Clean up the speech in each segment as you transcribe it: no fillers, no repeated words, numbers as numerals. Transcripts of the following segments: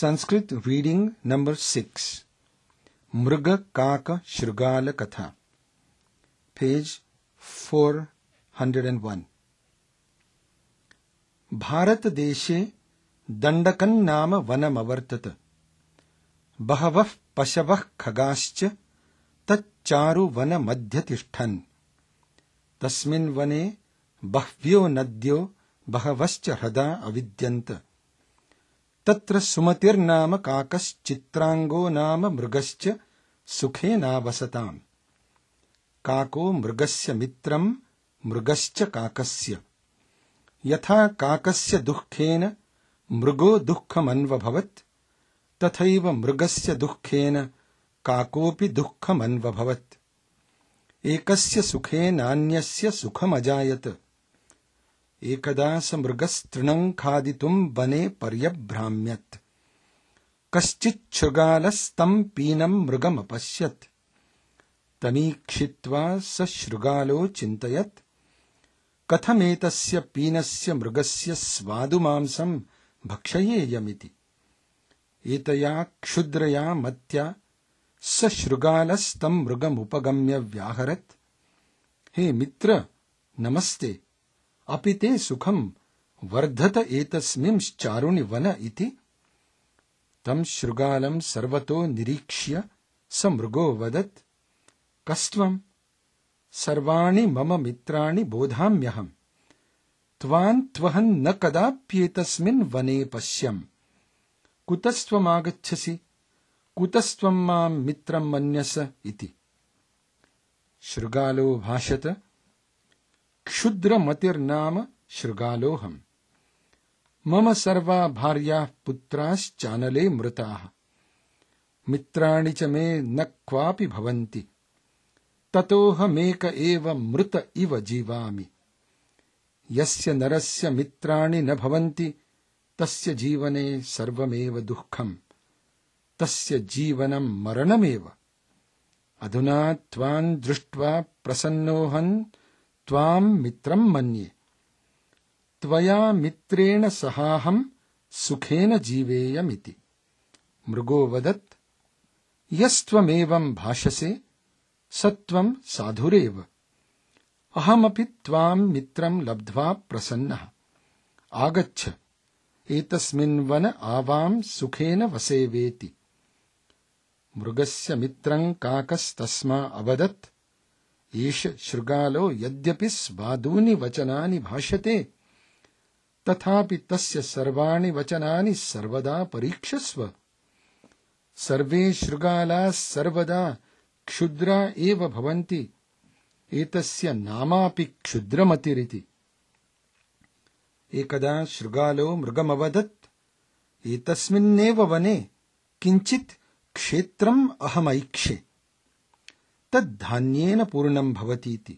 Sanskrit reading number 6. Mruga Kaka Shrugala Katha. Page 401. Bharata देशे दण्डकं नाम वनमवर्तत. बहवः पशवः खगाश्च तच्चारु वनमध्ये तिष्ठन्. तस्मिन् वने बह्व्यो नद्यो बहवश्च ह्रदा अविद्यन्त. तत्र सुमतिर्नाम काकश्चित्रांगो नाम मृगश्च सुखेनावसताम्. काको मृगस्य मित्रं मृगश्च काकस्य. यथा काकस्य दुःखेन मृगो दुःखमन्वभवत् तथैव मृगस्य दुःखेन काकोऽपि दुःखमन्वभवत्. एकस्य सुखेनान्यस्य सुखमजायत. एकदा स मृगस्तृणं खादितुं वने पर्यभ्राम्यत्. कश्चिच्छृगालस्तं पीनं मृगमपश्यत्. तमीक्षित्वा स शृगालो चिन्तयत्, कथमेतस्य पीनस्य मृगस्य स्वादुमांसं भक्षयेयमिति. एतया क्षुद्रया मत्या स शृगालस्तं मृगमुपगम्य व्याहरत्. हे मित्र, नमस्ते. अपि ते सुखं वर्धत एतस्मिंश्चारुणि वन इति. तं शृगालं सर्वतो निरीक्ष्य स मृगो वदत्, कस्त्वं? सर्वाणि मम मित्राणि बोधाम्यहम्. त्वान् त्वहं न कदाप्येतस्मिन् वने पश्यम्. कुतस्त्वमागच्छसि? कुतस्त्वं मां मित्रं मन्यस इति. शृगालो भाषत, क्षुद्रमतिर्नाम शृगालोऽहम्. मम सर्वा भार्याः पुत्राश्चानले मृताः. मित्राणि च मे न क्वापि भवन्ति. ततोऽहमेक एव मृत इव जीवामि. यस्य नरस्य मित्राणि न भवन्ति तस्य जीवने सर्वमेव दुःखम्. तस्य जीवनं मरणमेव. अधुना त्वां दृष्ट्वा प्रसन्नोऽहं त्वां मित्रं मन्ये. त्वया मित्रेण सहाहं सुखेन जीवेयमिति. मृगो वदत्, यस्त्वमेवं भाषसे सत्वं साधुरेव. अहमपि त्वां मित्रं लब्ध्वा प्रसन्नः. आगच्छ, एतस्मिन् वन आवां सुखेन वसेवेति. मृगस्य मित्रं काकस्तस्मा अवदत्, एष शृगालो यद्यपि स्वादूनि वचनानि भाषते तथापि तस्य सर्वाणि वचनानि सर्वदा परीक्षस्व. सर्वे शृगालाः सर्वदा क्षुद्रा एव भवन्ति. एतस्य नामापि क्षुद्रमतिरिति. एकदा शृगालो मृगमवदत्, एतस्मिन्नेव वने किञ्चित् क्षेत्रम् अहमैक्षे. तद्धान्येन पूर्णं भवतीति.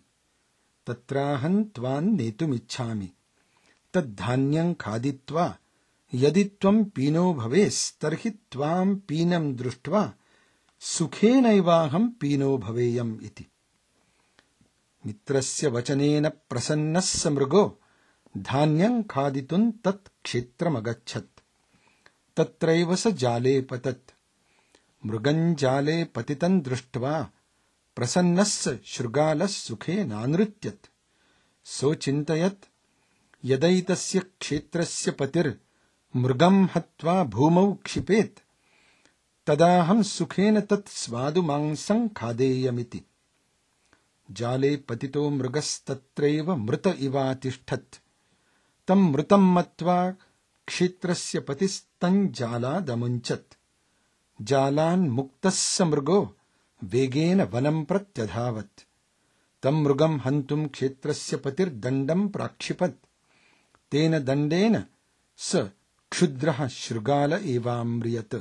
तत्राहं त्वां नेतुमिच्छामि. तद्धान्यं खादित्वा यदि त्वं पीनो भवेस्तर्हि त्वां पीनं दृष्ट्वा सुखेनैवाहं पीनो भवेयम् इति. मित्रस्य वचनेन प्रसन्नः स मृगो धान्यं खादितुं तत् क्षेत्रमगच्छत्. तत्रैव स जाले पतत्. मृगं जाले पतितं दृष्ट्वा प्रसन्नः स शृगालः सुखेनानृत्यत्. सोचिन्तयत्, यदैतस्य क्षेत्रस्य पतिर्मृगं हत्वा भूमौ क्षिपेत् तदाहं सुखेन तत् स्वादुमांसं खादेयमिति. जाले पतितो मृगस्तत्रैव मृत इवातिष्ठत्. तं मृतं मत्वा क्षेत्रस्य पतिस्तं जालादमुञ्चत्. जालान्मुक्तः स मृगो वेगेन वनं प्रत्यधावत्. तं मृगं हन्तुं क्षेत्रस्य पतिर्दण्डं प्राक्षिपत्. तेन दण्डेन स क्षुद्रः शृगाल एवाम्रियत्.